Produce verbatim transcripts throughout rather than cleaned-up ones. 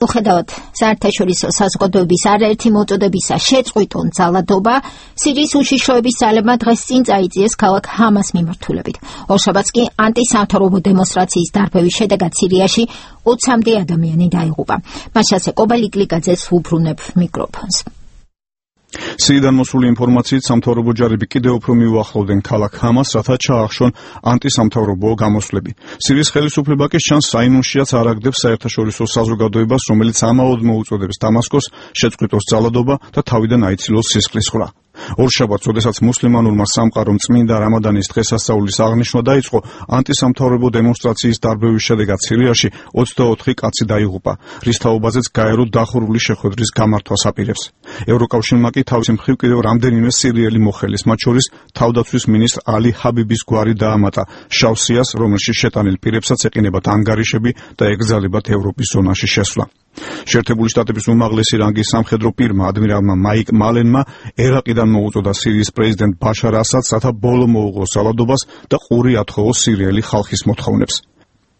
Უხედავად საერთაშორისო საზოგადოების არაერთი მოწოდებისა შეწყვიტონ ძალადობა, სირიის უშიშროების ძალებმა დღეს წინ წაიწიეს ქალაქ ჰამას მიმართულებით. ორშაბათს კი ანტისამთავრობო დემონსტრაციის დარბევის შედეგად სირიაში ოცამდე ადამიანი დაიღუპა. მაშასე კობალიკლიკაძეს ვუბრუნებ მიკროფონს. სირიიდან მოსული ინფორმაციით სამთავრობო ჯარები კიდევ უფრო მიუახლოვდნენ ქალაქ ჰამას, რათა ჩაახშონ ანტისამთავრობო გამოსვლები. სირიის ხელისუფლება კი შანს საინუნშიაც არ აგდებს საერთაშორისო საზოგადოებას, რომელიც ამაოდ მოუწოდებს დამასკოს შეწყვიტოს ძალადობა და თავიდან აიცილოს სისხლისღვრა. ორშაბათს, როდესაც მუსლიმანურმა სამყარომ წმინდა რამადანის დღესასწაულის აღნიშვნა დაიწყო, ანტისამთავრობო დემონსტრაციის დარბევის შედეგად სირიაში ოცდაოთხი კაცი დაიღუპა, რის თაობაზეც გაერო დახურული შეხვედრის გამართვას აპირებს. ევროკავშირმა კი თავის მხრივ კიდევ რამდენიმე სირიელი მოხელის, მათ შორის თავდაცვის მინისტრ ალი ჰაბიბის გვარი დაამატა შავ სიას, რომელშიც შეტანილ პირებსაც ეყინებათ ანგარიშები და ეკრძალებათ ევროპის ზონაში შესვლა. შეერთებული შტატების უმაღლესი რანგის სამხედრო პირმა ადმირალმა მაიკ მალენმა ერაყიდან მოუწოდა სირიის პრეზიდენტ ბაშარ ასადს, რათა ბოლო მოუღოს ძალადობას და ყური ათხოვოს სირიელი ხალხის მოთხოვნებს.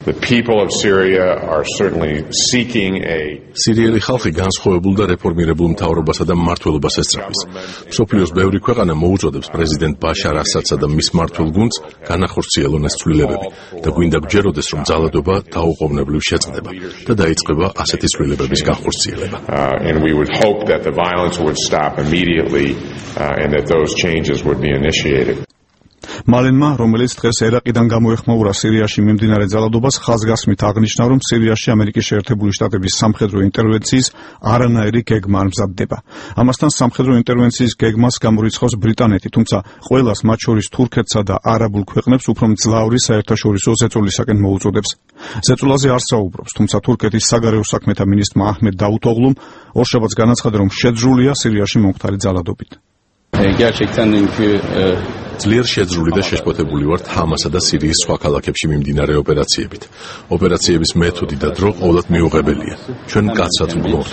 The people of Syria are certainly seeking a სირიელი ხალხი განსხვავებულ და რეფორმირებულ მთავრობასა და მმართველობას ესწრაფის. მსოფლიოს ბევრი ქვეყანა მოუწოდებს პრეზიდენტ ბაშარ ასადსა და მის მმართველ გუნდს განახორციელონ ეს ცვლილებები და გვინდა გჯეროდეს, რომ ძალადობა დაუყოვნებლივ შეწყდება და დაიწყება ასეთი ცვლილებების განხორციელება. Uh, and we would hope that the violence would stop immediately uh, and that those changes would be initiated. მალენმა, რომელიც დღეს ერაყიდან გამოეხმაურა სირიაში მიმდინარე ძალადობას, ხაზგასმით აღნიშნა, რომ სირიაში ამერიკის შეერთებული შტატების სამხედრო ინტერვენციის არანაირი გეგმა არ მზადდება. ამასთან სამხედრო ინტერვენციის გეგმას გამორიცხავს ბრიტანეთი, თუმცა ყველას, მათ შორის თურქეთსა და არაბულ ქვეყნებს, უფრო მძლავრი საერთაშორისო ზეწოლისაკენ მოუწოდებს. ზეწოლაზე არ საუბრობს, თუმცა თურქეთის საგარეო საქმეთა მინისტრმა აჰმედ დაუთოღლუმ ორშაბათს განაცხადა, რომ შეძრულია სირიაში მომხდარი ძალადობით. ძლიერ შეძრული და შეშფოთებული ვართ ჰამასა და სირიის სხვა ქალაქებში მიმდინარე ოპერაციებით. ოპერაციების მეთოდი და დრო ყოველად მიუღებელია. ჩვენ კაცად ვგლოვთ.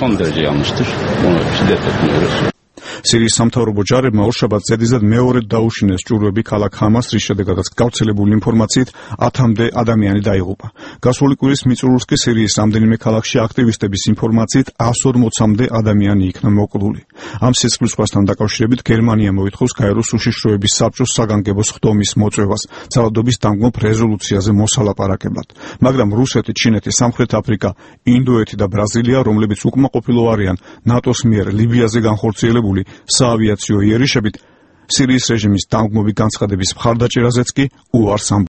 სირიის სამთავრობო ჯარებმა ორშაბათს ზედიზედ მეორედ დაუშინეს ჭურვები ქალაქ ჰამას, რის შედეგადაც გავრცელებული ინფორმაციით ათამდე ადამიანი დაიღუპა. გასული კვირის მიწურულს კი სირიის რამდენიმე ქალაქში აქტივისტების ინფორმაციით εκατს ორმოცამდე ადამიანი იქნა მოკლული. ამ სისხლისღვრასთან დაკავშირებით გერმანია მოითხოვს გაეროს უშიშროების საბჭოს საგანგებო სხდომის მოწვევას ძალადობის დამგმობ რეზოლუციაზე მოსალაპარაკებლად. მაგრამ რუსეთი, ჩინეთი, სამხრეთ აფრიკა, ინდოეთი და ბრაზილია, რომლებიც უკმაყოფილო არიან ნატოს მიერ ლიბიაზე განხორციელებული საავიაციო იერიშებით, სირიის რეჟიმის დამგმობი განცხადების მხარდაჭერაზეც კი უარს ამბობენ.